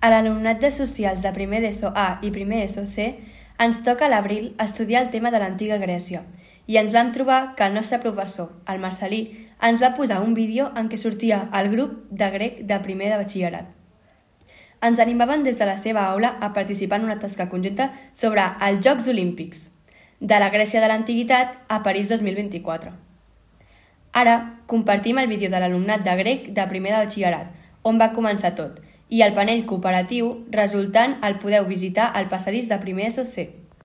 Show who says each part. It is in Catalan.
Speaker 1: A l'alumnat de Socials de primer d'ESO A i primer ESO C ens toca a l'abril estudiar el tema de l'antiga Grècia i ens vam trobar que el nostre professor, el Marcelí, ens va posar un vídeo en què sortia el grup de grec de primer de batxillerat. Ens animaven des de la seva aula a participar en una tasca conjunta sobre els Jocs Olímpics, de la Grècia de l'Antiguitat a París 2024. Ara compartim el vídeo de l'alumnat de grec de primer de batxillerat, on va començar tot, i el panell cooperatiu resultant el podeu visitar al passadís de primer ESO C.